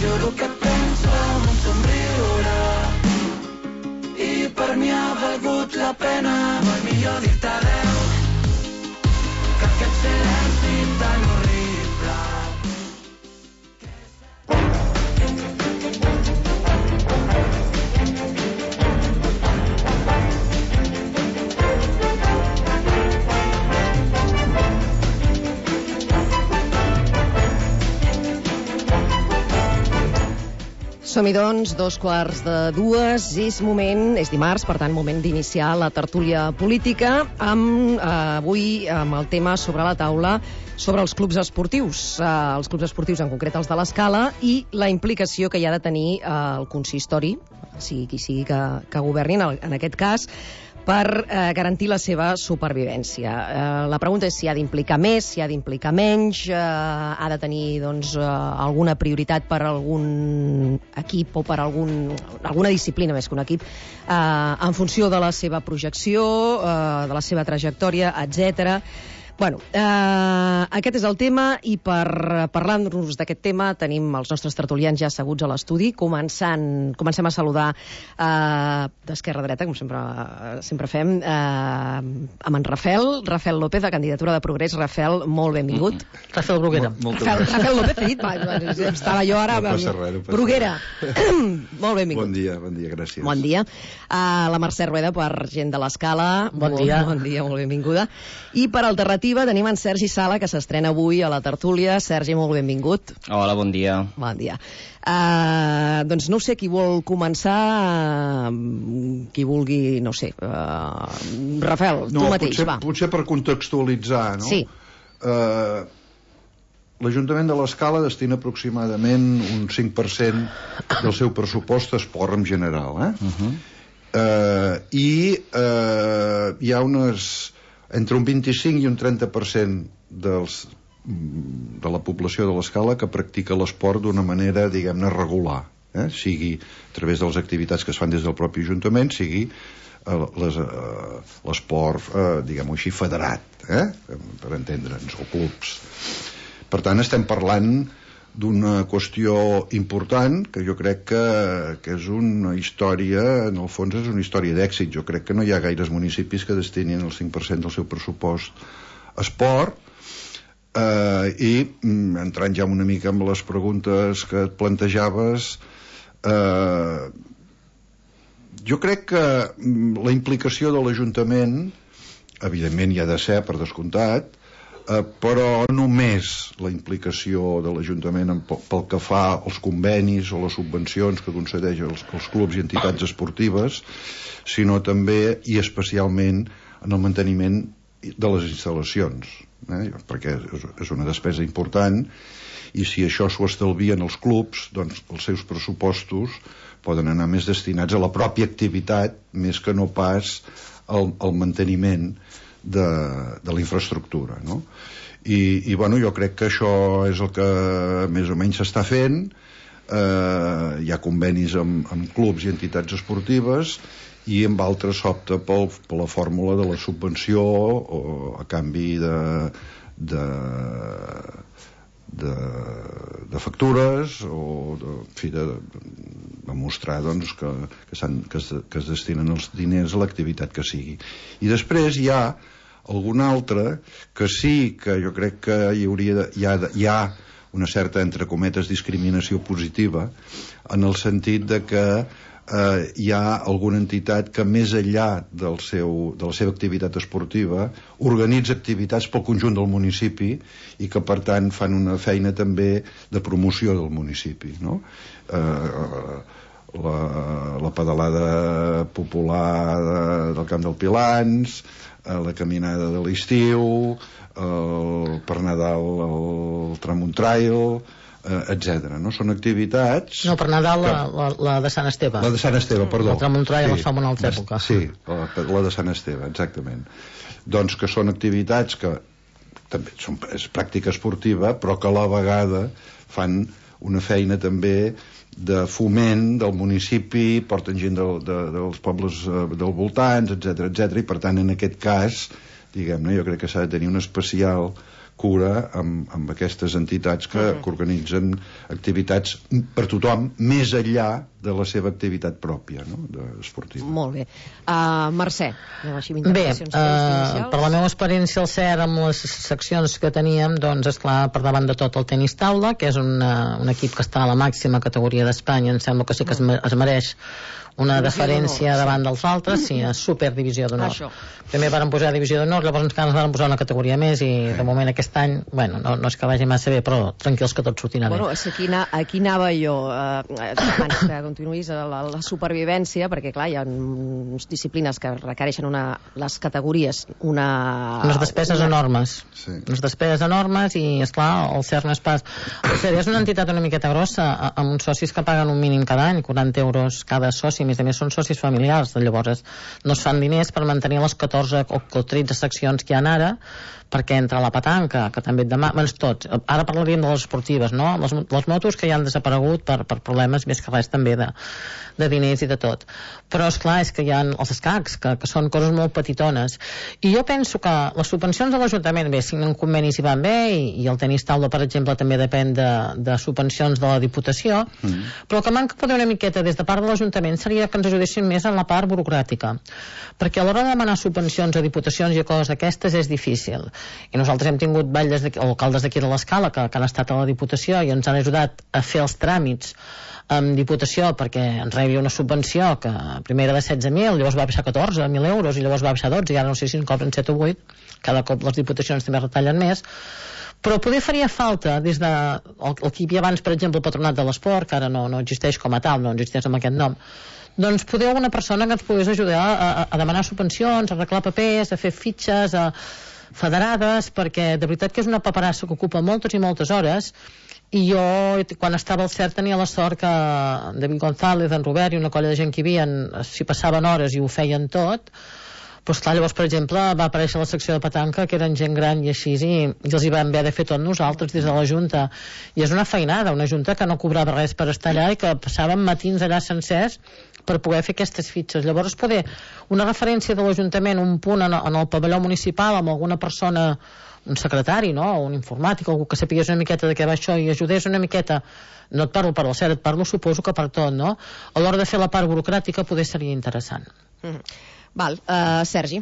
juro que et penso amb un somriure i per mi ha valgut la pena. Molt millor dir-te adeu que aquest silenci tan horrible. Som-hi doncs, 2:45, és dimarts, per tant, moment d'iniciar la tertúlia política, avui amb el tema sobre la taula sobre els clubs esportius, en concret els de l'Escala, i la implicació que hi ha de tenir el consistori, sigui qui sigui que governin, en aquest cas, per garantir la seva supervivència. La pregunta és si ha d'implicar més, si ha d'implicar menys, ha de tenir alguna prioritat per algun equip o per alguna disciplina més que un equip, en funció de la seva projecció, de la seva trajectòria, etc. Bueno, aquest és el tema, i per parlar-nos d'aquest tema tenim els nostres tertulians ja asseguts a l'estudi. Comencem a saludar d'esquerra a dreta, com sempre fem, amb en Rafael López, de Candidatura de Progrés. Rafael, molt benvingut. Rafael Bruguera. Rafael López, he dit, estava jo ara... No passa res. Bruguera. Molt benvingut. Bon dia, gràcies. Bon dia. La Mercè Rueda, per gent de l'Escala. Bon dia. Bon dia, molt benvinguda. I per Alternativa tenim en Sergi Sala, que s'estrena avui a la tertúlia. Sergi, molt benvingut. Hola, bon dia. Bon dia. Doncs no sé qui vol començar, qui vulgui, no sé. Rafael, tu mateix, va. Potser per contextualitzar, no? Sí. L'Ajuntament de l'Escala destina aproximadament un 5% del seu pressupost a esport en general, i hi ha entre un 25 i un 30% de la població de l'Escala que practica l'esport d'una manera, diguem-ne, regular, sigui a través de les activitats que es fan des del propi Ajuntament, sigui l'esport, diguem-ho així, federat, per entendre'ns, o clubs. Per tant, estem parlant d'una qüestió important que jo crec que és una història, en el fons és una història d'èxit. Jo crec que no hi ha gaires municipis que destinin el 5% del seu pressupost a esport, i entrant ja una mica amb les preguntes que et plantejaves, jo crec que la implicació de l'Ajuntament evidentment hi ha de ser, per descomptat, però només la implicació de l'Ajuntament pel que fa als convenis o les subvencions que concedeix als clubs i entitats esportives, sinó també i especialment en el manteniment de les instal·lacions, perquè és una despesa important, i si això s'ho estalvien els clubs, doncs els seus pressupostos poden anar més destinats a la pròpia activitat més que no pas al manteniment de la infraestructura, no? I bueno, jo crec que això és el que més o menys s'està fent. Hi ha convenis amb clubs i entitats esportives, i amb altres s'opta per la fórmula de la subvenció o a canvi de factures, o de demostrar que es destinen els diners a l'activitat que sigui. I després hi ha algun altre que sí que jo crec que hi ha una certa, entre cometes, discriminació positiva, en el sentit de que hi ha alguna entitat que més enllà de la seva activitat esportiva organitza activitats pel conjunt del municipi i que per tant fan una feina també de promoció del municipi, no? La pedalada popular del Camp del Pilans, la caminada de l'estiu, per Nadal el Tramont Trail, etc. No? Són activitats... No, per Nadal la de Sant Esteve. La de Sant Esteve, perdó. El Tramont Trail es fa en una altra època. Sí, la de Sant Esteve, exactament. Doncs que són activitats que també és pràctica esportiva, però que a la vegada fan una feina també de foment del municipi, porten gent dels pobles del voltants, etc, i per tant en aquest cas, diguem-ne, jo crec que s'ha de tenir un especial cura amb aquestes entitats que organitzen activitats per tothom, més enllà de la seva activitat pròpia, no? Esportiva. Molt bé. Mercè, anem així amb Bé, intervencions inicials. per la meva experiència al CER amb les seccions que teníem, doncs esclar, per davant de tot el tenis taula, que és un equip que està a la màxima categoria d'Espanya, em sembla que sí que es mereix una deferència davant dels altres, sí, a superdivisió d'honor. Primer varen posar divisió d'honor, llavors encara ens varen posar una categoria més i de moment aquest any, bueno, no és que vagi massa bé, però tranquils que tot sortirà bé. Bueno, aquí anava jo, abans que continuïs la supervivència, perquè clar, hi ha disciplines que requereixen les categories, unes despeses enormes. Sí. Unes despeses enormes i, esclar, el CER no és pas... El CER és una entitat una miqueta grossa, amb uns socis que paguen un mínim cada any, 40 euros cada soci, a més són socis familiars, llavors no es fan diners per mantenir les 14 o 13 seccions que hi ha ara, perquè entra la petanca, que també et demana, tots, ara parlaríem de les esportives, no? Les motos que ja han desaparegut per problemes més que res també de diners i de tot, però esclar, és que hi ha els escacs, que són coses molt petitones, i jo penso que les subvencions de l'Ajuntament, bé, signen convenis i van bé, i el tenis taula, per exemple, també depèn de subvencions de la Diputació, però el que manca poder una miqueta des de part de l'Ajuntament seria que ens ajudessin més en la part burocràtica, perquè a l'hora de demanar subvencions a diputacions i coses d'aquestes és difícil, i nosaltres hem tingut o alcaldes d'aquí de l'Escala que han estat a la Diputació i ens han ajudat a fer els tràmits amb Diputació perquè ens rebi una subvenció que primer era de 16.000, llavors va baixar a 14.000 euros i llavors va baixar a 12 i ara no sé si en cobren 7 o 8, cada cop les Diputacions també retallen més, però poder faria falta des de el que hi havia abans, per exemple, el Patronat de l'Esport, que ara no existeix com a tal, no existeix amb aquest nom, doncs poder alguna persona que ens pogués ajudar a demanar subvencions, a arreglar papers, a fer fitxes, a federades, perquè de veritat que és una paperassa que ocupa moltes i moltes hores, i jo quan estava al CERT tenia la sort que David González, en Robert i una colla de gent que hi havia s'hi passaven hores i ho feien tot, però esclar, llavors per exemple va aparèixer la secció de petanca que eren gent gran i així i els hi vam haver de fer tot nosaltres des de la Junta, i és una feinada, una Junta que no cobrava res per estar allà i que passàvem matins allà sencers per poder fer aquestes fitxes. Llavors poder una referència de l'Ajuntament, un punt en el pavelló municipal amb alguna persona, un secretari, no? O un informàtic, algú que sapigués una miqueta de què va això i ajudés una miqueta, no et parlo per al CERT, et parlo suposo que per tot, no? A l'hora de fer la part burocràtica poder seria interessant. Val, Sergi.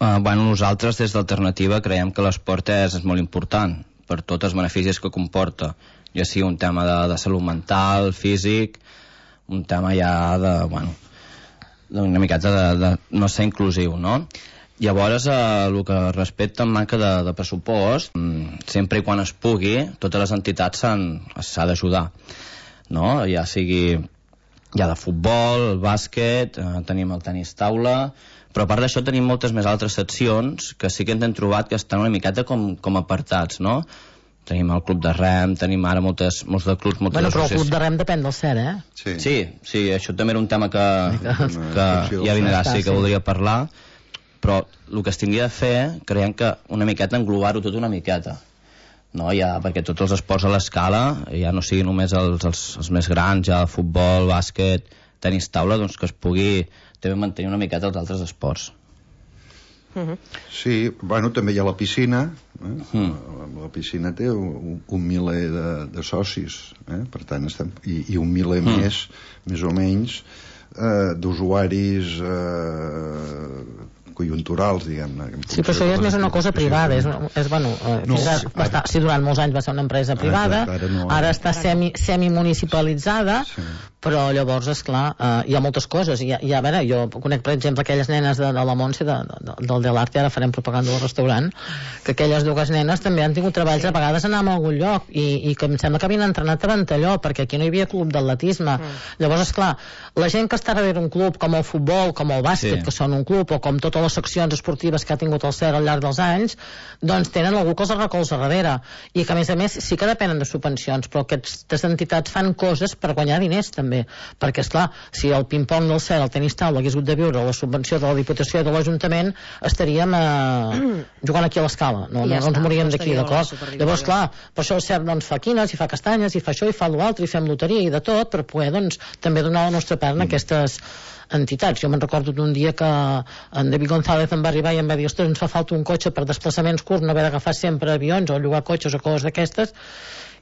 Bueno, nosaltres des d'Alternativa creiem que l'esport és molt important per tots els beneficis que comporta, ja sigui un tema de salut mental, físic, un tema ja una miqueta de no ser inclusiu, no? Llavors, el que respecta en manca de pressupost, sempre i quan es pugui, totes les entitats s'ha d'ajudar, no? Ja sigui de futbol, bàsquet, tenim el tenis taula, però a part d'això tenim moltes més altres seccions que sí que ens hem trobat que estan una miqueta com apartats, no? Tenim el club de rem, tenim ara molts de clubs, moltes associacions. Però el club de rem depèn del CER, Sí, això també era un tema que ja vindrà, sí, que voldria parlar, però el que es hauria de fer, creiem que una miqueta englobar-ho tot una miqueta, no? Ja, perquè tots els esports a l'escala, ja no siguin només els més grans, ja futbol, bàsquet, tenis taula, doncs que es pugui també mantenir una miqueta els altres esports. Sí, bueno, també hi ha la piscina, la piscina té un miler de socis, per tant i un miler més o menys d'usuaris conjunturals, diguem-ne. Sí, però això ja és més una cosa privada, durant molts anys va ser una empresa privada, ara està semimunicipalitzada, però llavors, esclar, hi ha moltes coses, i a veure, jo conec, per exemple, aquelles nenes de la Montse, del Delarte, ara farem propaganda del restaurant, que aquelles dues nenes també han tingut treballs, a vegades anàvem a algun lloc, i que em sembla que havien entrenat a Ventalló, perquè aquí no hi havia club d'atletisme. Llavors, esclar, la gent que està darrere un club, com el futbol, com el bàsquet, que són un club, o com totes les seccions esportives que ha tingut el CER al llarg dels anys, doncs tenen algú que els recolza darrere, i que a més sí que depenen de subvencions, però aquestes entitats fan coses per guanyar diners també, perquè esclar, si el ping-pong del CER, el tenis taula hagués hagut de viure la subvenció de la Diputació i de l'Ajuntament, estaríem jugant aquí a l'escala, no ens moríem d'aquí, d'acord? Llavors, clar, per això el CER doncs fa quines, i fa castanyes, i fa això, i fa l'altre, i fem loteria i de tot, per poder doncs també donar la nostra part en aquestes entitats. Jo me'n recordo d'un dia que en David González em va arribar i em va dir, ostres, ens fa falta un cotxe per desplaçaments curts, no haver d'agafar sempre avions o llogar cotxes o coses d'aquestes,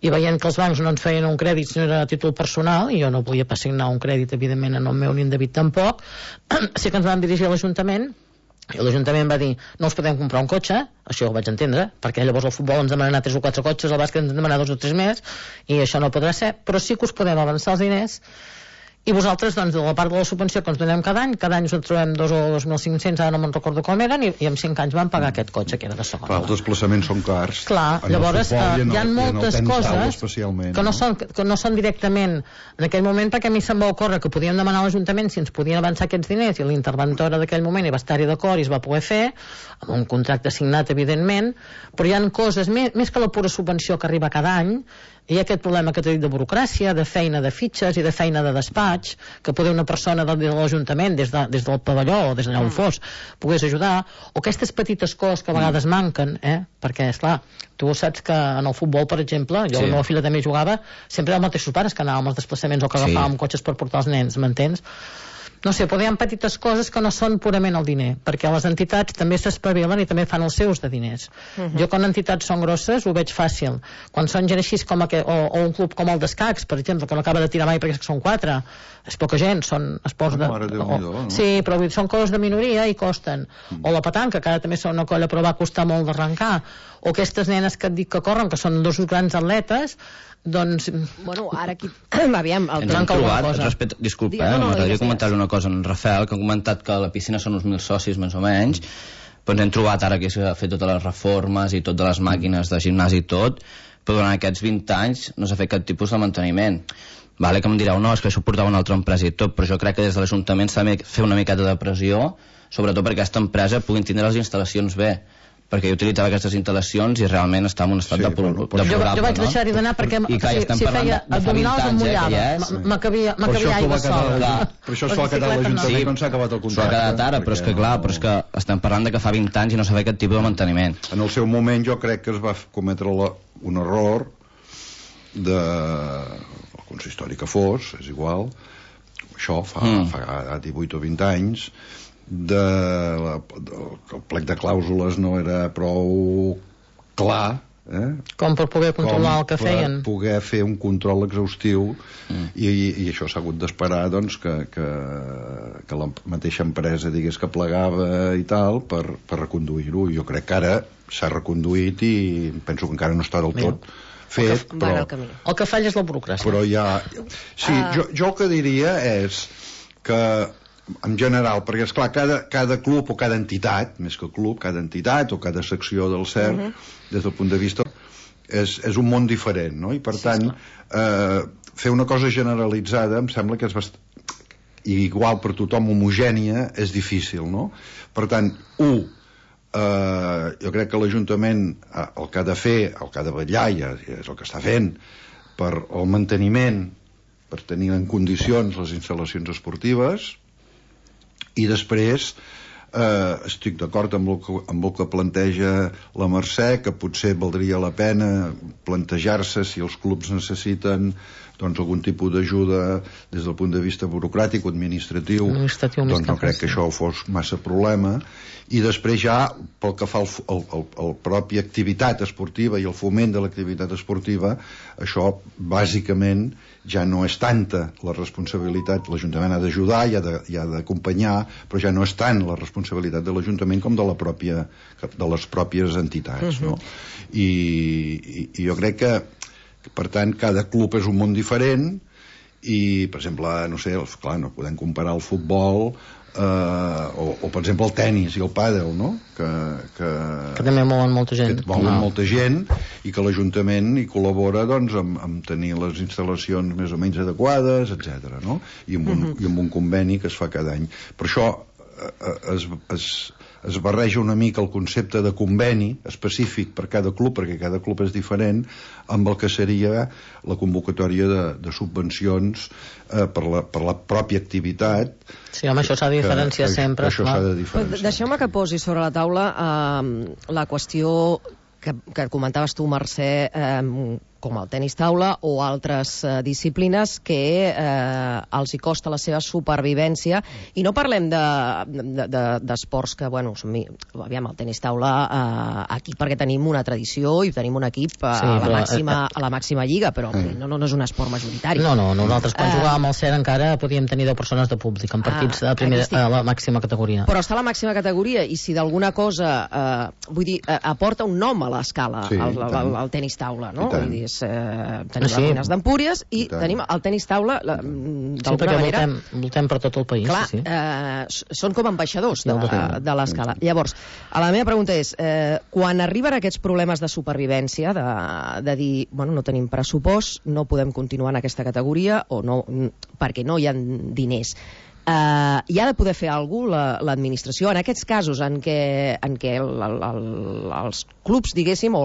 i veient que els bancs no ens feien un crèdit sinó era a títol personal, i jo no podia pas signar un crèdit evidentment en el meu ni en David tampoc, sí que ens vam dirigir a l'Ajuntament, i l'Ajuntament va dir, no us podem comprar un cotxe, això ho vaig entendre, perquè llavors el futbol ens demanarà 3 o 4 cotxes, el bàsquet ens demanarà 2 o 3 més, i això no podrà ser, però sí que us podem avançar els diners, i vosaltres, doncs, de la part de la subvenció que ens donem cada any us en trobem 2 o 2.500, ara no me'n recordo com eren, i en 5 anys vam pagar aquest cotxe, que era de segona. Clar, els desplaçaments són cars. Clar, llavors hi ha moltes coses que no són directament en aquell moment, perquè a mi se'm va ocórrer que podíem demanar a l'Ajuntament si ens podien avançar aquests diners, i l'interventora d'aquell moment hi va estar-hi d'acord i es va poder fer, amb un contracte signat, evidentment, però hi ha coses, més que la pura subvenció que arriba cada any, hi ha aquest problema que t'he dit de burocràcia, de feina de fitxes i de feina de despatx, que poder una persona de l'Ajuntament des del pavelló o des d'allà on fos pogués ajudar, o aquestes petites coses que a vegades manquen, perquè esclar, tu saps que en el futbol, per exemple, jo la meva filla també jugava, sempre eren els mateixos pares que anàvem als desplaçaments o que agafàvem cotxes per portar els nens, m'entens? No sé, però hi ha petites coses que no són purament el diner, perquè les entitats també s'espavilen i també fan els seus de diners. Jo quan entitats són grosses ho veig fàcil. Quan són gent així com o un club com el d'escacs, per exemple, que no acaba de tirar mai perquè són 4, és poca gent, són esports sí, però són coses de minoria i costen. O la petanca, que ara també són una colla però va costar molt d'arrencar. O aquestes nenes que et dic que corren, que són 2 grans atletes, doncs... Bueno, ara aquí... Aviam, ens han trobat, disculpa, m'agradaria comentar una cosa en Rafael, que ha comentat que a la piscina són uns 1.000 socis, més o menys, però ens hem trobat ara que s'ha fet totes les reformes i totes les màquines de gimnàs i tot, però durant aquests 20 anys no s'ha fet cap tipus de manteniment. Vale, que em direu, no, és que això ho portava una altra empresa i tot, però jo crec que des de l'Ajuntament s'ha de fer una miqueta de pressió, sobretot perquè aquesta empresa puguin tindre les instal·lacions bé, perquè jo utilitzava aquestes instal·lacions i realment estava en un estat de jo vaig deixar-hi d'anar perquè si feia abdominals em mullava, m'acabia aigua sola. Per això s'ho ha quedat l'Ajuntament quan s'ha acabat el contracte. S'ho ha quedat ara, però és que clar, estem parlant de que fa 20 anys i no s'ha fet aquest tipus de manteniment. En el seu moment jo crec que es va cometre un error el consistori que fos, és igual, això fa 18 o 20 anys, el plec de clàusules no era prou clar com per poder controlar el que feien, per poder fer un control exhaustiu i això s'ha hagut d'esperar doncs, que la mateixa empresa digués que plegava i tal per reconduir-ho. Jo crec que ara s'ha reconduït i penso que encara no està del tot fet, però el que falla és la burocràcia. Però ja... Sí, jo el que diria és que en general, perquè esclar, cada club o cada entitat, més que club, cada entitat o cada secció del CERC, des del punt de vista és un món diferent, no? I per tant fer una cosa generalitzada em sembla que és igual per tothom, homogènia, és difícil, no? Per tant, jo crec que l'Ajuntament el que ha de fer, el que ha de vetllar, i és el que està fent per el manteniment, per tenir en condicions les instal·lacions esportives. I després estic d'acord amb el que planteja la Mercè, que potser valdria la pena plantejar-se si els clubs necessiten doncs algun tipus d'ajuda des del punt de vista burocràtic o administratiu, doncs no crec que això fos massa problema. I després ja pel que fa al propi activitat esportiva i el foment de l'activitat esportiva, això bàsicament ja no és tanta la responsabilitat. L'Ajuntament ha d'ajudar i ha d'acompanyar, però ja no és tant la responsabilitat de l'Ajuntament com de les pròpies entitats, no? I jo crec que per tant cada club és un món diferent i per exemple, no sé, clar, no podem comparar el futbol o per exemple el tennis i el pàdel, no? Que també mouen molta gent, molta gent i que l'Ajuntament hi col·labora doncs amb tenir les instal·lacions més o menys adequades, etc., no? I amb un conveni que es fa cada any. Per això es barreja una mica el concepte de conveni específic per cada club, perquè cada club és diferent, amb el que seria la convocatòria de subvencions per la pròpia activitat. Sí, home, això s'ha de diferenciar sempre. Això s'ha de diferenciar. Deixeu-me que posi sobre la taula la qüestió que comentaves tu, Mercè, com el tenis taula o altres disciplines que els hi costa la seva supervivència, i no parlem d'esports que, bueno, aviam, el tenis taula aquí perquè tenim una tradició i tenim un equip a la màxima lliga, però no és un esport majoritari. No, nosaltres quan jugàvem al CER encara podíem tenir 10 persones de públic en partits a la màxima categoria. Però està a la màxima categoria, i si d'alguna cosa vull dir, aporta un nom a l'escala el tenis taula, no? Vull dir, tenim les Ruïnes d'Empúries i tenim el tenis taula d'alguna manera. Voltem per tot el país. Clar, són com ambaixadors de l'escala. Llavors, la meva pregunta és, quan arriben aquests problemes de supervivència, de dir, bueno, no tenim pressupost, no podem continuar en aquesta categoria, o no, perquè no hi ha diners, hi ha de poder fer alguna cosa l'administració en aquests casos en què els clubs, diguéssim, o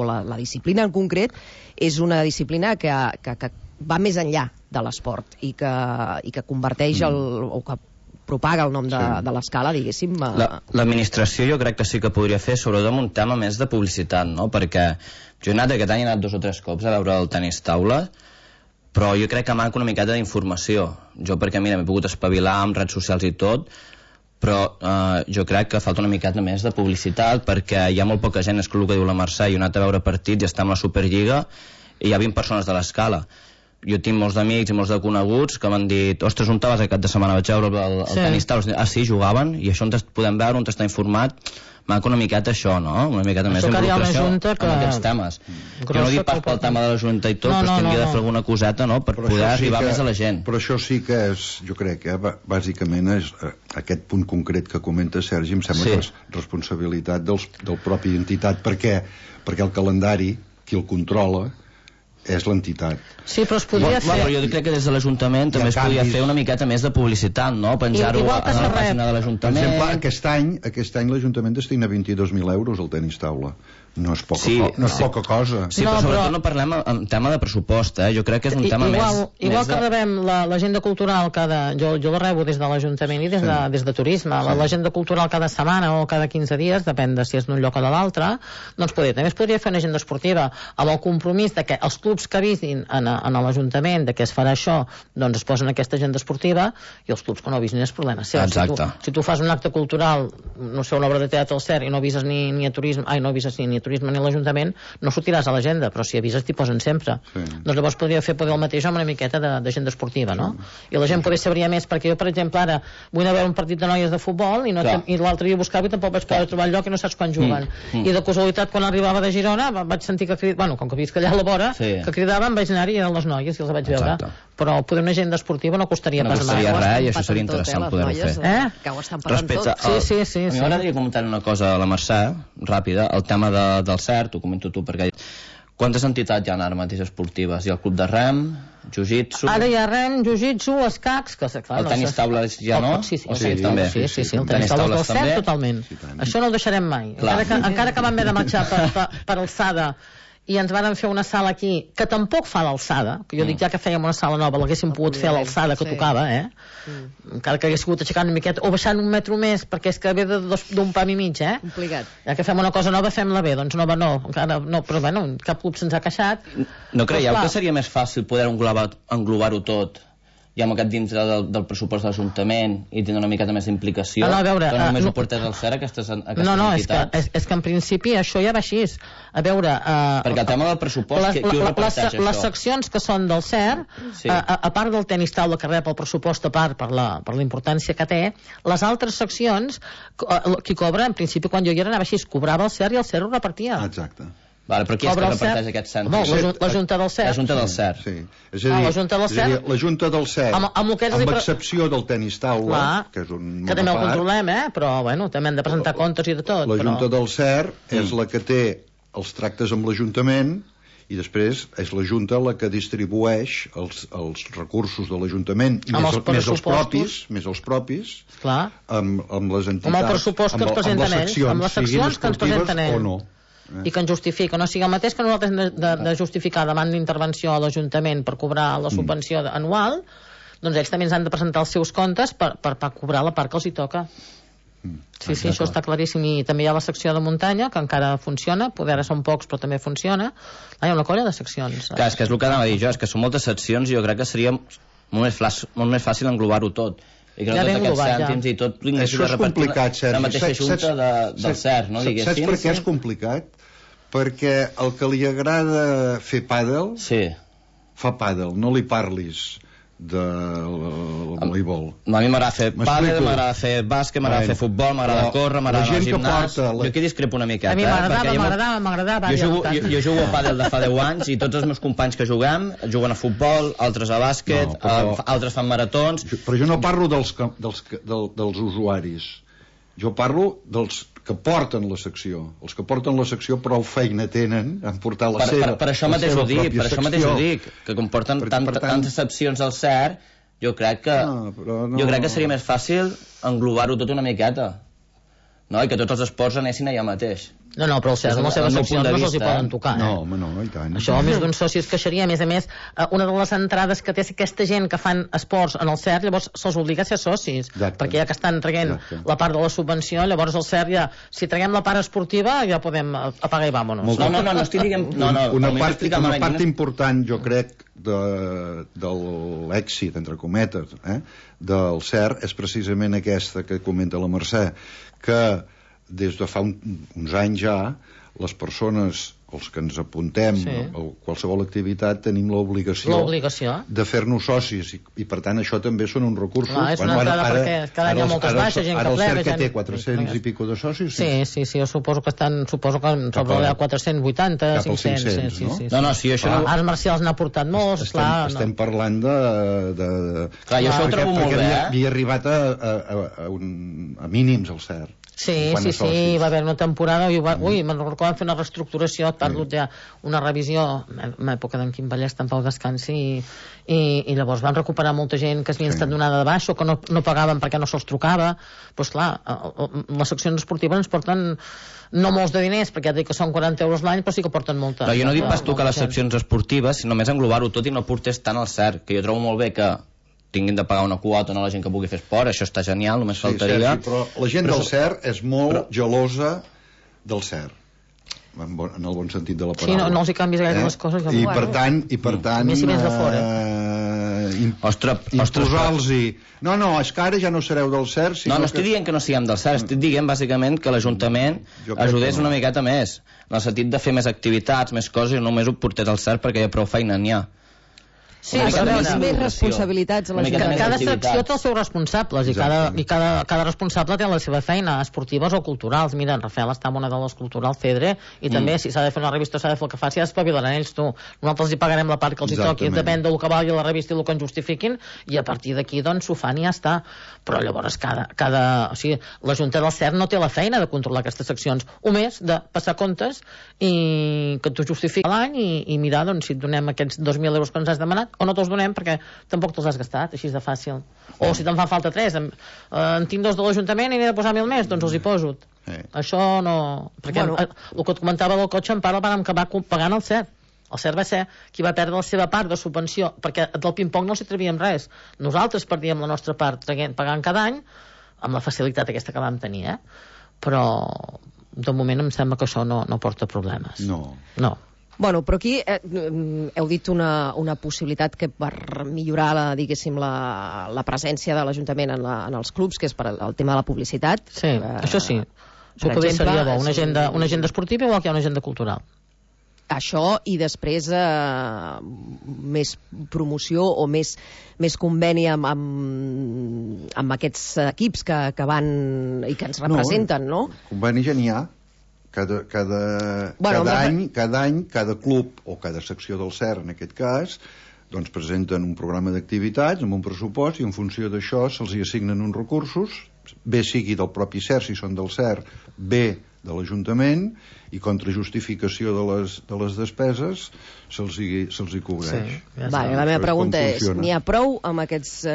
la disciplina en concret és una disciplina que va més enllà de l'esport i que converteix o que propaga el nom de l'escala, diguéssim. L'administració jo crec que sí que podria fer, sobretot amb un tema més de publicitat, no? Perquè jo aquest any he anat 2 o 3 cops a veure el tenis taula, però jo crec que manca una miqueta d'informació. Jo perquè, mira, m'he pogut espavilar amb redes socials i tot, però jo crec que falta una miqueta més de publicitat, perquè hi ha molt poca gent, és el que diu la Mercè, i he anat a veure partits i està amb la Superliga i hi ha 20 persones de l'escala. Jo tinc molts d'amics i molts de coneguts que m'han dit, ostres, on estaves aquest cap de setmana? Vaig veure el tenis taula. Ah, sí, jugaven, i això on podem veure, on està informat. Manca una miqueta això, no? Una miqueta més d'involucració en aquests temes. Jo no dic pas pel tema de la Junta i tot, però hauria de fer alguna coseta, no?, per poder arribar més a la gent. Però això sí que és, jo crec, bàsicament és aquest punt concret que comenta Sergi, em sembla que és responsabilitat del propi entitat, perquè el calendari, qui el controla, és l'entitat. Sí, però es podria fer... Però jo crec que des de l'Ajuntament també es podria fer una miqueta més de publicitat, no? Penjar-ho a la pàgina de l'Ajuntament. Per exemple, aquest any l'Ajuntament destina 22.000 euros al tenis taula. No és poca cosa. Sí, però sobretot no parlem en tema de pressupost, jo crec que és un tema més... Igual que rebem l'agenda cultural jo la rebo des de l'Ajuntament i des de Turisme. L'agenda cultural cada setmana o cada 15 dies, depèn de si és d'un lloc o de l'altre, doncs també es podria fer una agenda esportiva amb el compromís de que els clubs que avisin a l'Ajuntament de que es farà això, doncs es posen aquesta agenda esportiva, i els clubs que no avisin és problema seu. Si tu fas un acte cultural, no sé, una obra de teatre al CER, i no avises ni a Turisme, no avises ni a Turisme ni a l'Ajuntament, no sortiràs a l'agenda, però si avises t'hi posen sempre. Doncs llavors podria fer el mateix amb una miqueta d'agenda esportiva, no? I la gent potser sabria més, perquè jo, per exemple, ara vull anar a veure un partit de noies de futbol i l'altre dia buscava i tampoc vaig poder trobar el lloc i no saps quan juguen. I de casualitat, quan arribava de Girona, vaig sentir que cridaven, com que visc allà a la vora, que cridaven, vaig anar-hi i eren les noies i els vaig veure. Però poder una agenda esportiva no costaria pas res. No costaria res, i això seria interessant poder-ho fer. Que ho estan parlant tot. Sí. A mi m'agradaria comentar una cosa a la Mercè, ràpida, el tema del CERT, ho comento tu, perquè quantes entitats hi ha ara mateix esportives? Hi ha el club de rem, jiu-jitsu... Ara hi ha rem, jiu-jitsu, escacs... El tenis taula ja no? Sí, també. Sí, el tenis taula del CERT, totalment. Això no ho deixarem mai. Encara que vam haver de marxar per alçada i ens van fer una sala aquí que tampoc fa l'alçada, que jo dic ja que fèiem una sala nova l'haguéssim pogut fer a l'alçada que tocava, encara que hagués pogut aixecar una miqueta o baixant un metro més, perquè és que ve d'un pam i mig, complicat. Ja que fem una cosa nova, fem-la bé. Doncs nova no, encara no, però bueno, cap club se'ns ha queixat. No creieu que seria més fàcil poder englobar-ho tot ja amb aquest dintre del pressupost de l'Ajuntament i tindre una miqueta més d'implicació, que només ho portés al CER aquestes entitats? És que en principi això ja va així. A veure... Perquè el tema del pressupost, qui ho reparteix això? Les seccions que són del CER, a part del tenis taula que rep el pressupost a part per la importància que té, les altres seccions, qui cobra, en principi quan jo hi era anava així, cobrava el CER i el CER ho repartia. Exacte. Vale, però qui és que reparteix aquests cèntims? La Junta del CER. La Junta del CER. Sí. És a dir, la Junta del CER, amb excepció del tenis taula, que és un que també ho controlem, però bueno, també hem de presentar comptes i de tot. La Junta del CER és la que té els tractes amb l'Ajuntament i després és la Junta la que distribueix els recursos de l'Ajuntament més els propis amb les entitats, amb el pressupost que ens presenten ells, amb les seccions que ens presenten ells i que ens justifica, no sigui el mateix que nosaltres hem de justificar davant d'intervenció a l'Ajuntament per cobrar la subvenció anual, doncs ells també ens han de presentar els seus comptes per cobrar la part que els hi toca. Sí, això està claríssim. I també hi ha la secció de muntanya, que encara funciona, poder ara són pocs, però també funciona. Hi ha una colla de seccions. Clar, és que és el que anava a dir jo, és que són moltes seccions i jo crec que seria molt més fàcil englobar-ho tot. I crec que tots aquests cèntims i tot... Això és complicat, Sergi. La mateixa junta del CERT, no? Saps per què és complicat? Perquè el que li agrada fer pàdel, fa pàdel, no li parlis del voleibol. A mi m'agrada fer pàdel, m'agrada fer bàsquet, m'agrada fer futbol, m'agrada córrer, m'agrada anar al gimnàs. Jo aquí discrepo una miqueta. A mi m'agradava. Jo jugo a pàdel de fa 10 anys i tots els meus companys que juguem juguen a futbol, altres a bàsquet, altres fan maratons. Però jo no parlo dels usuaris. Jo parlo dels que porten la secció. Els que porten la secció prou feina tenen en portar la seva per això mateix ho dic, que comporten tantes seccions al CERT, jo crec que seria més fàcil englobar-ho tot una miqueta, no? I que tots els esports anessin allà mateix. No, però el CERT amb les seves seccions no se'ls hi poden tocar. No, i tant. Això més d'un soci es queixaria. A més, una de les entrades que té aquesta gent que fan esports en el CERT, llavors se'ls obliga a ser socis. Perquè ja que estan traient la part de la subvenció, llavors el CERT ja, si traguem la part esportiva, ja podem apagar i vámonos. No estic dient... Una part important, jo crec, de l'èxit, entre cometes, del CERT és precisament aquesta que comenta la Mercè, que des de fa uns anys ja les persones, els que ens apuntem a qualsevol activitat, tenim l'obligació de fer-nos socis i per tant això també són uns recursos. És una entrada perquè cada any hi ha moltes baixes, gent que plega. Ara el CERT que té 400 i pico de socis. Sí, jo suposo que sobre 480, 500. No, sí, això no... Arts marcials n'ha portat molts, clar. Estem parlant de... Clar, jo això ho trobo molt bé, havia arribat a mínims el CERT. Sí, va haver una temporada me'n recordo que van fer una reestructuració, parlo ja una revisió en època d'en Quim Vallès, en pau descansi, i llavors van recuperar molta gent que s'havia estat donada de baixa o que no pagaven perquè no se'ls trucava. Doncs clar, les seccions esportives ens porten no molts de diners, perquè ja dic que són 40 euros l'any, però sí que porten molta. Però jo no dic pas tu que les seccions esportives, sinó només englobar-ho tot i no portés tant al CERT, que jo trobo molt bé que tinguin de pagar una quota a la gent que pugui fer esport, això està genial, només faltaria. Sergi, però la gent del CERT és molt gelosa del CERT, en el bon sentit de la paraula. Sí, no els hi canvis gaire les coses. I per tant més si vens de fora. Imposar-los-hi... No, és que ara ja no sereu del CERT. No estic dient que no siguem del CERT, estic dient bàsicament que l'Ajuntament ajudés una miqueta més, en el sentit de fer més activitats, més coses, i només ho portés al CERT perquè ja prou feina n'hi ha. Sí, però més responsabilitats a l'Ajuntament. Cada secció té els seus responsables i cada responsable té la seva feina, esportives o culturals. Mira, en Rafael està en una de les culturals, Cedre, i també si s'ha de fer una revista s'ha de fer el que faci, ja espavilaran ells, tu. Nosaltres hi pagarem la part que els hi toqui, depèn del que valgui la revista i el que ens justifiquin, i a partir d'aquí doncs s'ho fan i ja està. Però llavors o sigui, la Junta del CERT no té la feina de controlar aquestes seccions, o més de passar comptes i que tu justifiqui l'any i mirar doncs si et donem aquests 2.000 euros que ens has demanat o no te'ls donem perquè tampoc te'ls has gastat, així de fàcil. O si te'n fan falta 3, en tinc 2 de l'Ajuntament i n'he de posar 1.000 més, doncs els hi poso. Això no... Perquè el que et comentava del cotxe en part el vam acabar pagant el CERT. El CERT va ser qui va perdre la seva part de subvenció, perquè del ping-pong no els hi travíem res. Nosaltres perdíem la nostra part pagant cada any amb la facilitat aquesta que vam tenir, però de moment em sembla que això no porta problemes. No. Bueno, però aquí heu dit una possibilitat que per millorar diguéssim la presència de l'Ajuntament en els clubs, que és per el tema de la publicitat. Sí, això sí. Això potser seria bo, una agenda esportiva igual que hi ha una agenda cultural. Això i després més promoció o més conveni amb aquests equips que van i que ens representen, no? Conveni ja n'hi ha. Cada any, cada club o cada secció del CERT, en aquest cas, doncs presenten un programa d'activitats amb un pressupost i en funció d'això se'ls hi assignen uns recursos, bé sigui del propi CERT si són del CERT, bé de l'Ajuntament, i contra justificació de les despeses se'ls hi cobreix. La meva pregunta és, n'hi ha prou amb aquests o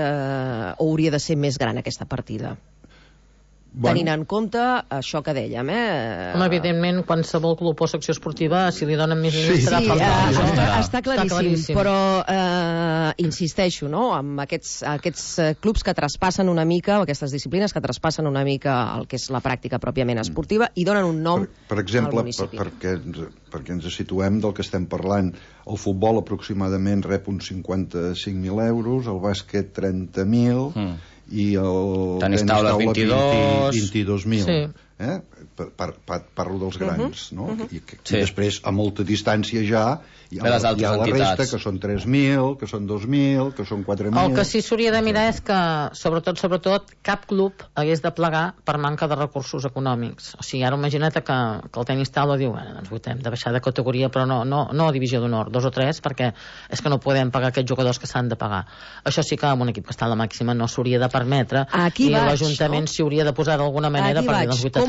hauria de ser més gran aquesta partida? tenint en compte això que dèiem, Evidentment, qualsevol club o secció esportiva, si li donen més diners, serà està claríssim, però insisteixo, no?, amb aquests clubs que traspassen una mica, o aquestes disciplines que traspassen una mica el que és la pràctica pròpiament esportiva i donen un nom per exemple, al municipi. perquè ens situem del que estem parlant, el futbol aproximadament rep uns 55.000 euros, el bàsquet 30.000 i el tenis taula 22.000. Sí. Parlo dels grans, no? I després a molta distància ja hi ha la resta, que són 3.000, que són 2.000, que són 4.000. El que sí s'hauria de mirar és que, sobretot, cap club hagués de plegar per manca de recursos econòmics. O sigui, ara imagina't que el tenis taula diu, ens hem de baixar de categoria, però no a divisió d'honor, 2 o 3, perquè és que no podem pagar aquests jugadors que s'han de pagar. Això sí que amb un equip que està a la màxima no s'hauria de permetre, i l'Ajuntament s'hi hauria de posar d'alguna manera perquè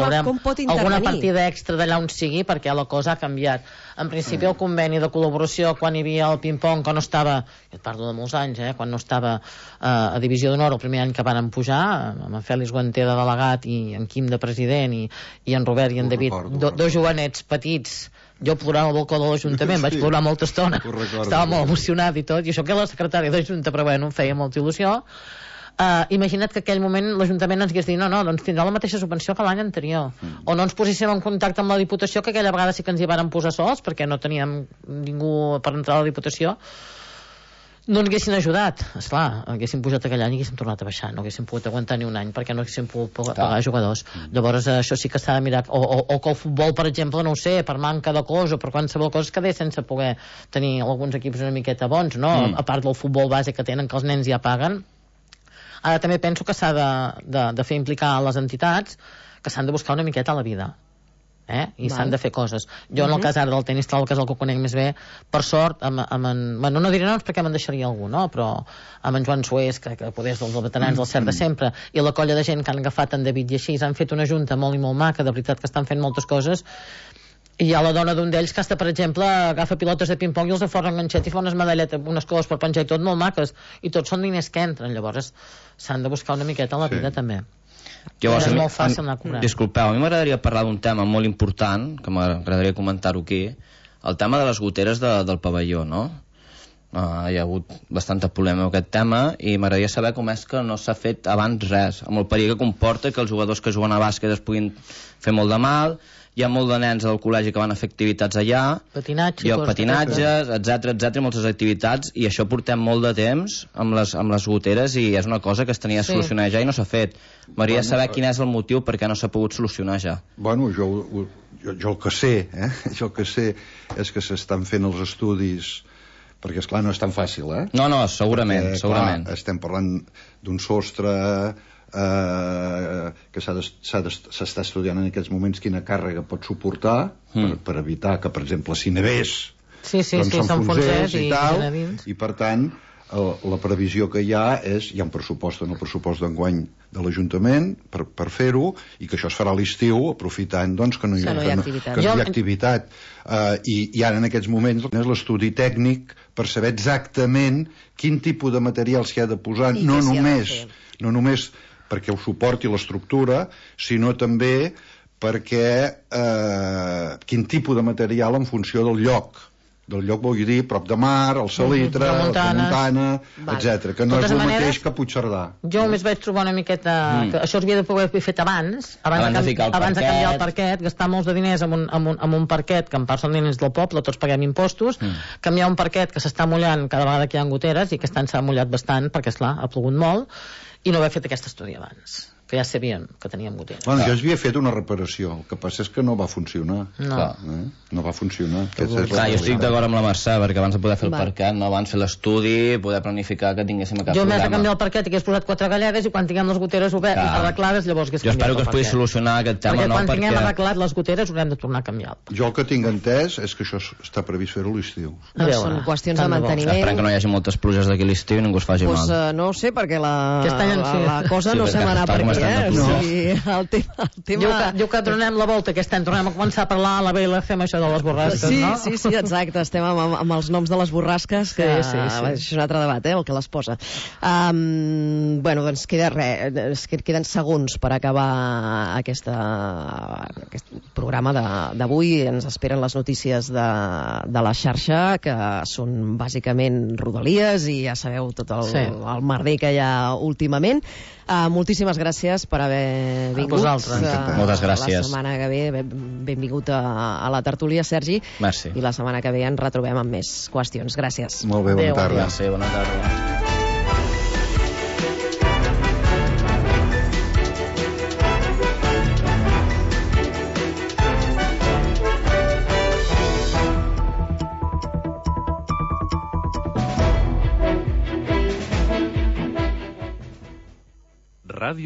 alguna partida extra d'allà on sigui, perquè la cosa ha canviat. En principi el conveni de col·laboració quan hi havia el ping-pong, que no estava, et parlo de molts anys, quan no estava a divisió d'honor el primer any que van pujar, amb en Fèlix Guanter de delegat i en Quim de president i en Robert i en David, dos jovenets petits. Jo plorava al balcó de l'Ajuntament, vaig plorar molta estona, estava molt emocionat i tot, i això que la secretària de Junta, però bueno, em feia molta il·lusió. Imagina't que aquell moment l'Ajuntament ens hagués dit no, doncs tindrà la mateixa subvenció que l'any anterior, o no ens poséssim en contacte amb la Diputació, que aquella vegada sí que ens hi varen posar sols perquè no teníem ningú per entrar a la Diputació, no ens haguessin ajudat. Esclar, haguéssim pujat aquell any i haguéssim tornat a baixar, no haguéssim pogut aguantar ni un any perquè no haguéssim pogut pagar jugadors. Llavors això sí que s'ha de mirar, o que el futbol, per exemple, no ho sé, per manca de cos o per qualsevol cosa es quedés sense poder tenir alguns equips una miqueta bons, no? A part del futbol base que tenen, que els nens ja paguen. Ara també penso que s'ha de fer implicar les entitats, que s'han de buscar una miqueta a la vida, i s'han de fer coses. Jo en el cas ara del tenis taula, que és el que conec més bé, per sort, bueno, no diré noms perquè me'n deixaria algú, no? Però amb en Joan Sués, que poder és dels veterans del CERT de sempre, i la colla de gent que han agafat en David i així, han fet una junta molt i molt maca, de veritat que estan fent moltes coses. I hi ha la dona d'un d'ells que per exemple, agafa pilotes de ping-pong i els aforra enganxet i fa unes medalletes, unes coses per penjar i tot molt maques, i tots són diners que entren. Llavors s'han de buscar una miqueta a la vida també. És molt fàcil anar a cobrar. Disculpeu, a mi m'agradaria parlar d'un tema molt important, que m'agradaria comentar-ho aquí, el tema de les goteres del pavelló, no? Hi ha hagut bastanta polèmica amb aquest tema i m'agradaria saber com és que no s'ha fet abans res, amb el perill que comporta que els jugadors que juguen a bàsquet es puguin fer molt de mal. Hi ha molt de nens al col·legi que van a fer activitats allà, patinatges, etc, moltes activitats, i això portem molt de temps amb les goteres i és una cosa que es tenia de solucionar ja i no s'ha fet. M'agradaria saber quin és el motiu per què no s'ha pogut solucionar ja. Bueno, jo el que sé, jo el que sé és que s'estan fent els estudis, perquè esclar no és tan fàcil, No, segurament. Clar, estem parlant d'un sostre que s'està estudiant en aquests moments quina càrrega pot suportar per evitar que, per exemple, si nevés s'enfonsés i tal, i per tant la previsió que hi ha és, hi ha un pressupost en el pressupost d'enguany de l'Ajuntament per fer-ho, i que això es farà a l'estiu aprofitant doncs, que no hi ha activitat, i ara en aquests moments és l'estudi tècnic per saber exactament quin tipus de material s'hi ha de posar, no només perquè ho suporti l'estructura, sinó també perquè quin tipus de material en funció del lloc vull dir, prop de mar, el Salitre, la Tramuntana, etc, que no és el mateix que Puigcerdà. Jo només vaig trobar una miqueta que això s'havia de poder fer fet abans de canviar el parquet, gastar molts de diners amb un parquet que en part són diners del poble, tots paguem impostos, canviar un parquet que s'està mullant cada vegada que hi ha goteres, i aquest any s'ha mullat bastant perquè esclar, ha plogut molt, i no haver fet aquest estudi abans, que ja sabien que teníem goteres. Bueno, jo havia fet una reparació, el que passa és que no va funcionar. No va funcionar. Jo estic d'acord amb la Mercè, perquè abans de poder fer el parquet, no abans fer l'estudi, poder planificar que tinguéssim cap problema. Jo m'he de canviar el parquet i hagués posat 4 galledes, i quan tinguem les goteres arreglades, llavors hagués canviat el parquet. Jo espero que es pugui solucionar aquest tema, perquè quan tinguem arreglat les goteres haurem de tornar a canviar. Jo el que tinc entès és que això està previst fer-ho a l'estiu. Són qüestions de manteniment. Esperem que no hi hagi moltes pluges d'aquí a l'estiu i ningú es faci mal. No ho sé, perquè la cosa no sembla anar per bastant de O pluja. sigui, el tema... Diu que donem la volta aquest any, tornem a començar a parlar a la BLC amb això de les borrasques, no? Sí, exacte, estem amb els noms de les borrasques, que Sí. és un altre debat, el que les posa. Bueno, doncs queda queden segons per acabar aquest programa d'avui. Ens esperen les notícies de la xarxa, que són bàsicament Rodalies, i ja sabeu tot el merder que hi ha últimament. Moltíssimes gràcies per haver vingut. Vosaltres. Moltes gràcies. La setmana que ve, benvingut a la tertúlia, Sergi. Merci. I la setmana que ve ens retrobem amb més qüestions. Gràcies. Molt bé, bona tarda. Gràcies, bona tarda. Ràdio